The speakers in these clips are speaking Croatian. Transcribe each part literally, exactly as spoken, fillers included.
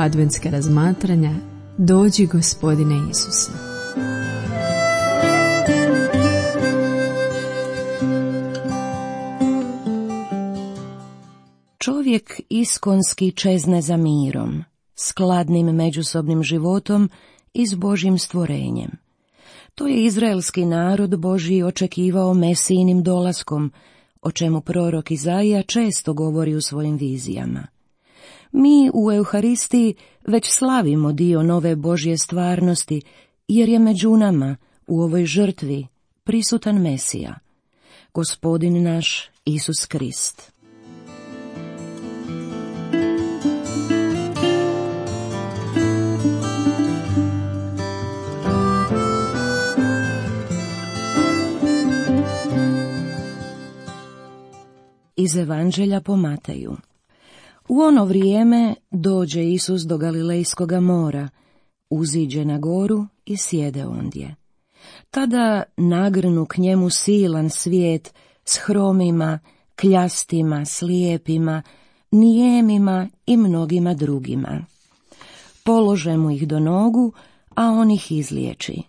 adventska razmatranja Dođi Gospodine Isuse. Čovjek iskonski čezne za mirom, skladnim međusobnim životom i s Božjim stvorenjem. To je izraelski narod Božji očekivao Mesijinim dolaskom, o čemu prorok Izaija često govori u svojim vizijama. Mi u Euharistiji već slavimo dio nove Božje stvarnosti, jer je među nama u ovoj žrtvi prisutan Mesija, Gospodin naš Isus Krist. Iz Evanđelja po Mateju. U ono vrijeme dođe Isus do Galilejskoga mora, uziđe na goru i sjede ondje. Tada nagrnu k njemu silan svijet s hromima, kljastima, slijepima, nijemima i mnogima drugima. Polože mu ih do nogu, a on ih izliječi.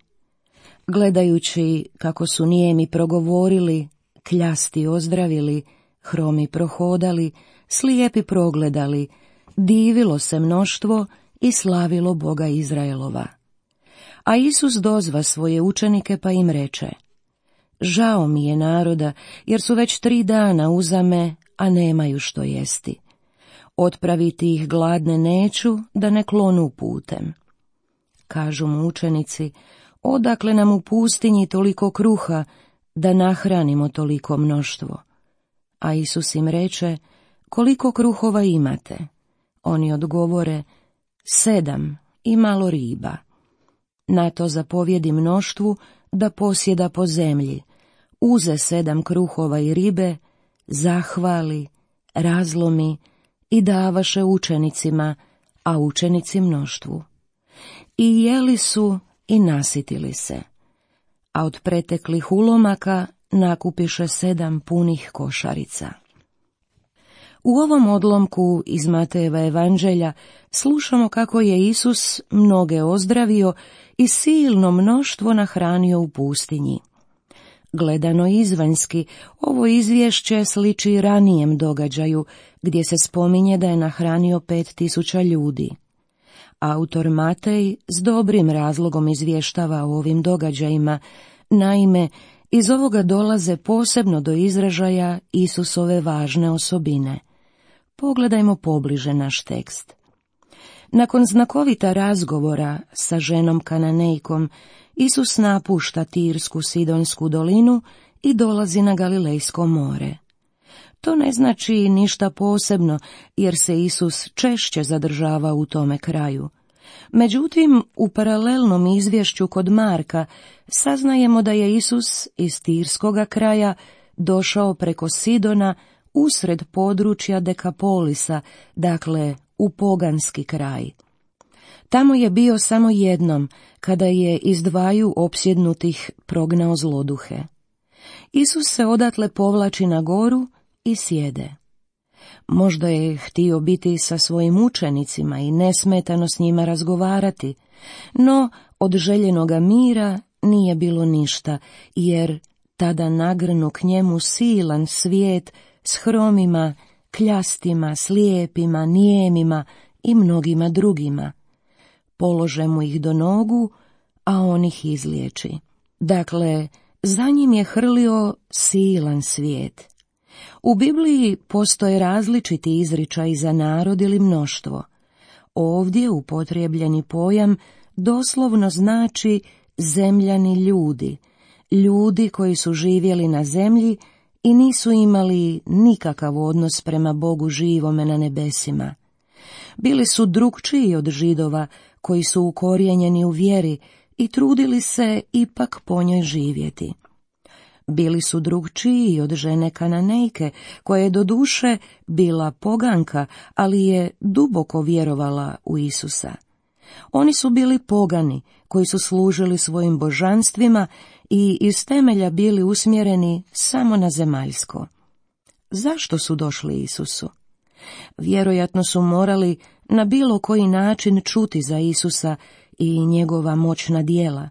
Gledajući kako su nijemi progovorili, kljasti ozdravili, hromi prohodali, slijepi progledali, divilo se mnoštvo i slavilo Boga Izraelova. A Isus dozva svoje učenike pa im reče: Žao mi je naroda, jer su već tri dana uzame, a nemaju što jesti. Otpraviti ih gladne neću, da ne klonu putem. Kažu mu učenici: Odakle nam u pustinji toliko kruha, da nahranimo toliko mnoštvo? A Isus im reče: Koliko kruhova imate? Oni odgovore: Sedam i malo riba. Na to zapovjedi mnoštvu da posjeda po zemlji, uze sedam kruhova i ribe, zahvali, razlomi i davaše učenicima, a učenici mnoštvu. I jeli su i nasitili se, a od preteklih ulomaka nakupiše sedam punih košarica. U ovom odlomku iz Matejeva evanđelja slušamo kako je Isus mnoge ozdravio i silno mnoštvo nahranio u pustinji. Gledano izvanjski, ovo izvješće sliči ranijem događaju, gdje se spominje da je nahranio pet tisuća ljudi. Autor Matej s dobrim razlogom izvještava o ovim događajima, naime, iz ovoga dolaze posebno do izražaja Isusove važne osobine. Pogledajmo pobliže naš tekst. Nakon znakovita razgovora sa ženom Kananejkom, Isus napušta Tirsku Sidonsku dolinu i dolazi na Galilejsko more. To ne znači ništa posebno, jer se Isus češće zadržava u tome kraju. Međutim, u paralelnom izvješću kod Marka saznajemo da je Isus iz Tirskoga kraja došao preko Sidona usred područja Dekapolisa, dakle u poganski kraj. Tamo je bio samo jednom, kada je iz dvaju opsjednutih prognao zloduhe. Isus se odatle povlači na goru i sjede. Možda je htio biti sa svojim učenicima i nesmetano s njima razgovarati, no od željenoga mira nije bilo ništa, jer tada nagrnu k njemu silan svijet s hromima, kljastima, slijepima, nijemima i mnogima drugima. Polože mu ih do nogu, a on ih izliječi. Dakle, za njim je hrlio silan svijet. U Bibliji postoje različiti izričaji za narod ili mnoštvo. Ovdje upotrijebljeni pojam doslovno znači zemljani ljudi, ljudi koji su živjeli na zemlji i nisu imali nikakav odnos prema Bogu živome na nebesima. Bili su drukčiji od Židova koji su ukorijenjeni u vjeri i trudili se ipak po njoj živjeti. Bili su drukčiji od žene Kananejke, koja je doduše bila poganka, ali je duboko vjerovala u Isusa. Oni su bili pogani, koji su služili svojim božanstvima i iz temelja bili usmjereni samo na zemaljsko. Zašto su došli Isusu? Vjerojatno su morali na bilo koji način čuti za Isusa i njegova moćna djela.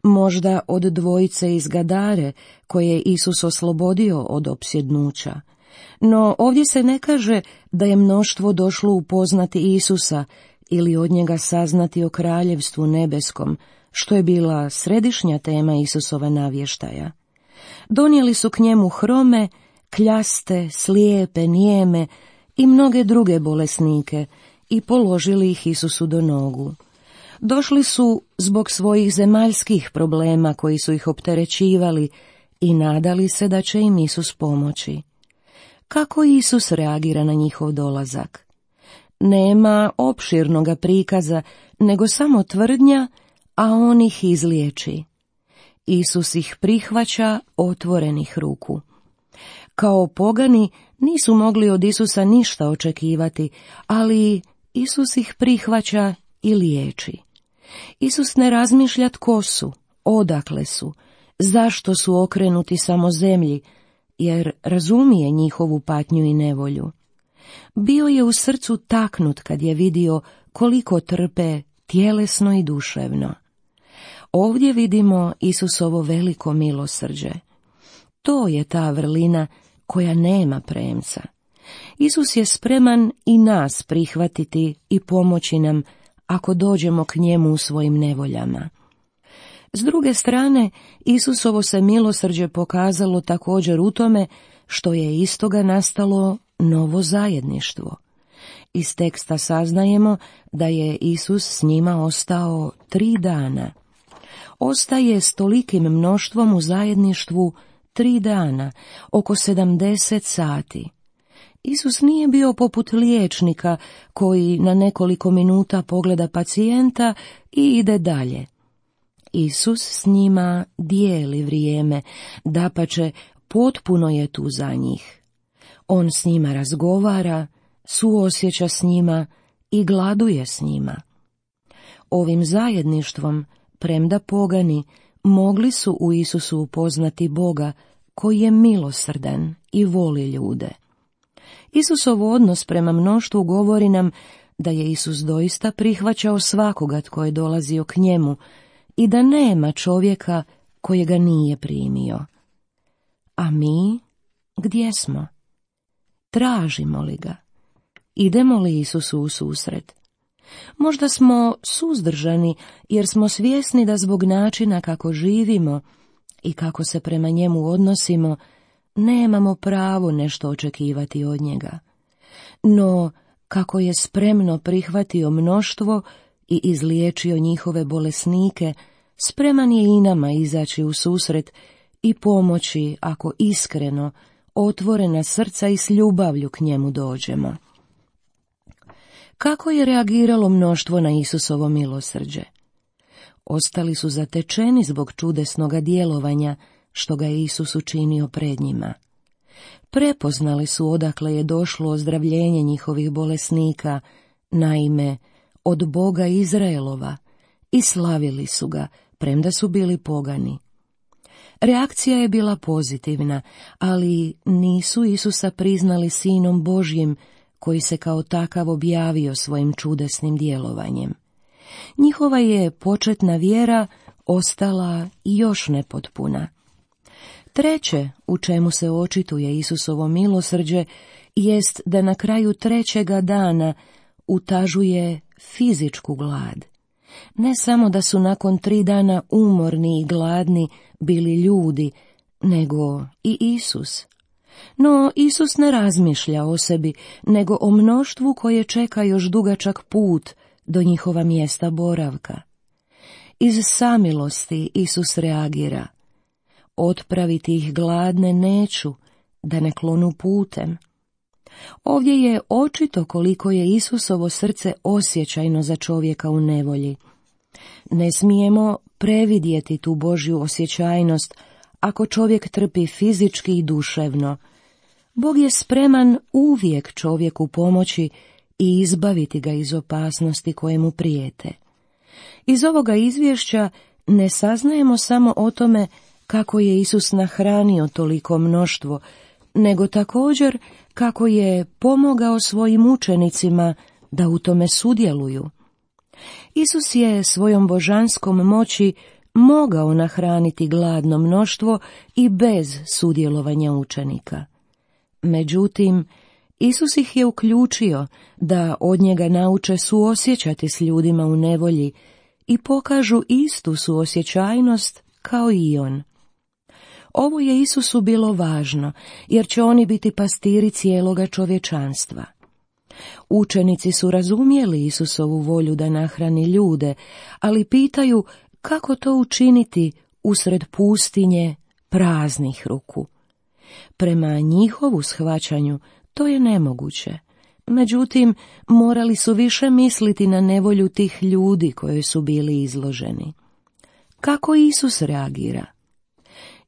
Možda od dvojice iz Gadare, koje je Isus oslobodio od opsjednuća. No ovdje se ne kaže da je mnoštvo došlo upoznati Isusa ili od njega saznati o kraljevstvu nebeskom, što je bila središnja tema Isusova navještaja. Donijeli su k njemu hrome, kljaste, slijepe, nijeme i mnoge druge bolesnike i položili ih Isusu do nogu. Došli su zbog svojih zemaljskih problema koji su ih opterećivali i nadali se da će im Isus pomoći. Kako Isus reagira na njihov dolazak? Nema opširnoga prikaza, nego samo tvrdnja, a on ih izliječi. Isus ih prihvaća otvorenih ruku. Kao pogani nisu mogli od Isusa ništa očekivati, ali Isus ih prihvaća i liječi. Isus ne razmišlja tko su, odakle su, zašto su okrenuti samo zemlji, jer razumije njihovu patnju i nevolju. Bio je u srcu taknut kad je vidio koliko trpe tjelesno i duševno. Ovdje vidimo Isusovo veliko milosrđe. To je ta vrlina koja nema premca. Isus je spreman i nas prihvatiti i pomoći nam ako dođemo k njemu u svojim nevoljama. S druge strane, Isusovo se milosrđe pokazalo također u tome što je iz toga nastalo novo zajedništvo. Iz teksta saznajemo da je Isus s njima ostao tri dana. Ostaje s tolikim mnoštvom u zajedništvu tri dana, oko sedamdeset sati. Isus nije bio poput liječnika koji na nekoliko minuta pogleda pacijenta i ide dalje. Isus s njima dijeli vrijeme, dapače potpuno je tu za njih. On s njima razgovara, suosjeća s njima i gladuje s njima. Ovim zajedništvom, premda pogani, mogli su u Isusu upoznati Boga koji je milosrdan i voli ljude. Isusov odnos prema mnoštvu govori nam da je Isus doista prihvaćao svakoga tko je dolazio k njemu i da nema čovjeka kojega nije primio. A mi, gdje smo? Tražimo li ga? Idemo li Isusu u susret? Možda smo suzdržani jer smo svjesni da zbog načina kako živimo i kako se prema njemu odnosimo, nemamo pravo nešto očekivati od njega. No, kako je spremno prihvatio mnoštvo i izliječio njihove bolesnike, spreman je i nama izaći u susret i pomoći ako iskreno, otvorena srca i s ljubavlju k njemu dođemo. Kako je reagiralo mnoštvo na Isusovo milosrđe? Ostali su zatečeni zbog čudesnoga djelovanja što ga je Isus učinio pred njima. Prepoznali su odakle je došlo ozdravljenje njihovih bolesnika, naime, od Boga Izraelova, i slavili su ga, premda su bili pogani. Reakcija je bila pozitivna, ali nisu Isusa priznali Sinom Božjim, koji se kao takav objavio svojim čudesnim djelovanjem. Njihova je početna vjera ostala još nepotpuna. Treće, u čemu se očituje Isusovo milosrđe, jest da na kraju trećega dana utažuje fizičku glad. Ne samo da su nakon tri dana umorni i gladni bili ljudi, nego i Isus. No Isus ne razmišlja o sebi, nego o mnoštvu koje čeka još dugačak put do njihova mjesta boravka. Iz samilosti Isus reagira: otpraviti ih gladne neću, da ne klonu putem. Ovdje je očito koliko je Isusovo srce osjećajno za čovjeka u nevolji. Ne smijemo previdjeti tu Božju osjećajnost ako čovjek trpi fizički i duševno. Bog je spreman uvijek čovjeku pomoći i izbaviti ga iz opasnosti koje mu prijete. Iz ovoga izvješća ne saznajemo samo o tome kako je Isus nahranio toliko mnoštvo nego također kako je pomogao svojim učenicima da u tome sudjeluju. Isus je svojom božanskom moći mogao nahraniti gladno mnoštvo i bez sudjelovanja učenika. Međutim, Isus ih je uključio da od njega nauče suosjećati s ljudima u nevolji i pokažu istu suosjećajnost kao i on. Ovo je Isusu bilo važno, jer će oni biti pastiri cijeloga čovječanstva. Učenici su razumjeli Isusovu volju da nahrani ljude, ali pitaju kako to učiniti usred pustinje praznih ruku. Prema njihovu shvaćanju to je nemoguće. Međutim, morali su više misliti na nevolju tih ljudi koji su bili izloženi. Kako Isus reagira?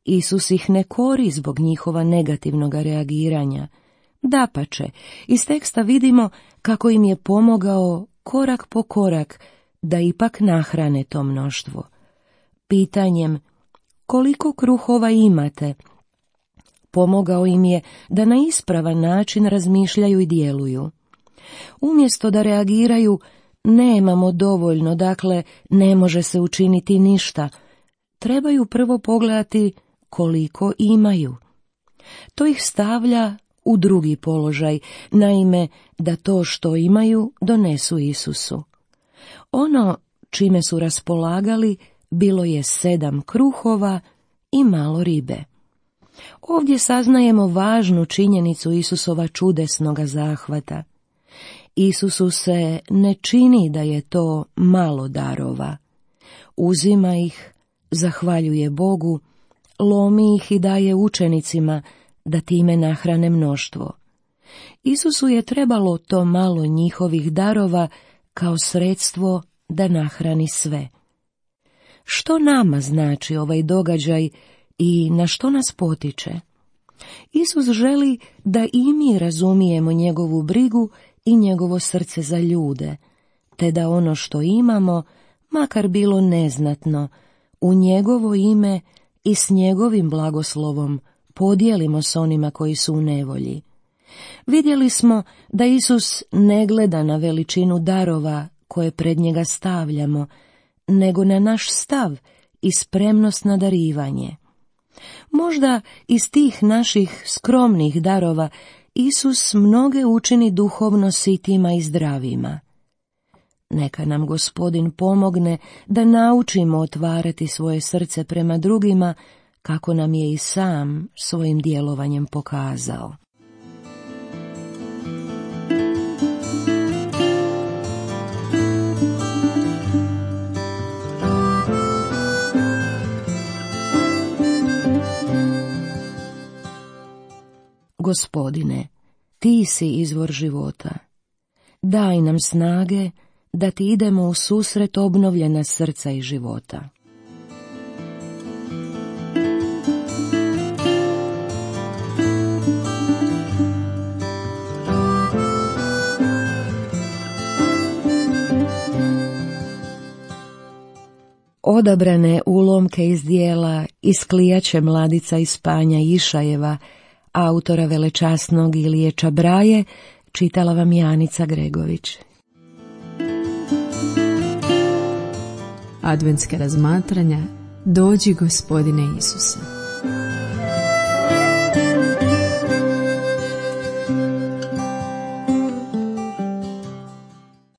Isus ih ne kori zbog njihova negativnog reagiranja. Dapače, iz teksta vidimo kako im je pomogao korak po korak da ipak nahrane to mnoštvo. Pitanjem koliko kruhova imate, pomogao im je da na ispravan način razmišljaju i djeluju. Umjesto da reagiraju nemamo dovoljno, dakle ne može se učiniti ništa, trebaju prvo pogledati koliko imaju. To ih stavlja u drugi položaj, naime da to što imaju donesu Isusu. Ono čime su raspolagali bilo je sedam kruhova i malo ribe. Ovdje saznajemo važnu činjenicu Isusova čudesnoga zahvata. Isusu se ne čini da je to malo darova. Uzima ih, zahvaljuje Bogu, lomi ih i daje učenicima da time nahrane mnoštvo. Isusu je trebalo to malo njihovih darova kao sredstvo da nahrani sve. Što nama znači ovaj događaj i na što nas potiče? Isus želi da i mi razumijemo njegovu brigu i njegovo srce za ljude, te da ono što imamo, makar bilo neznatno, u njegovo ime i s njegovim blagoslovom podijelimo s onima koji su u nevolji. Vidjeli smo da Isus ne gleda na veličinu darova koje pred njega stavljamo, nego na naš stav i spremnost na darivanje. Možda iz tih naših skromnih darova Isus mnoge učini duhovno sitima i zdravima. Neka nam Gospodin pomogne da naučimo otvarati svoje srce prema drugima, kako nam je i sam svojim djelovanjem pokazao. Gospodine, ti si izvor života. Daj nam snage da ti idemo u susret obnovljena srca i života. Odabrane ulomke iz dijela Isklijaće mladica iz Panja Išajeva, autora velečasnog Ilije Čabraje, čitala vam Janica Gregović. Adventska razmatranja Dođi Gospodine Isuse.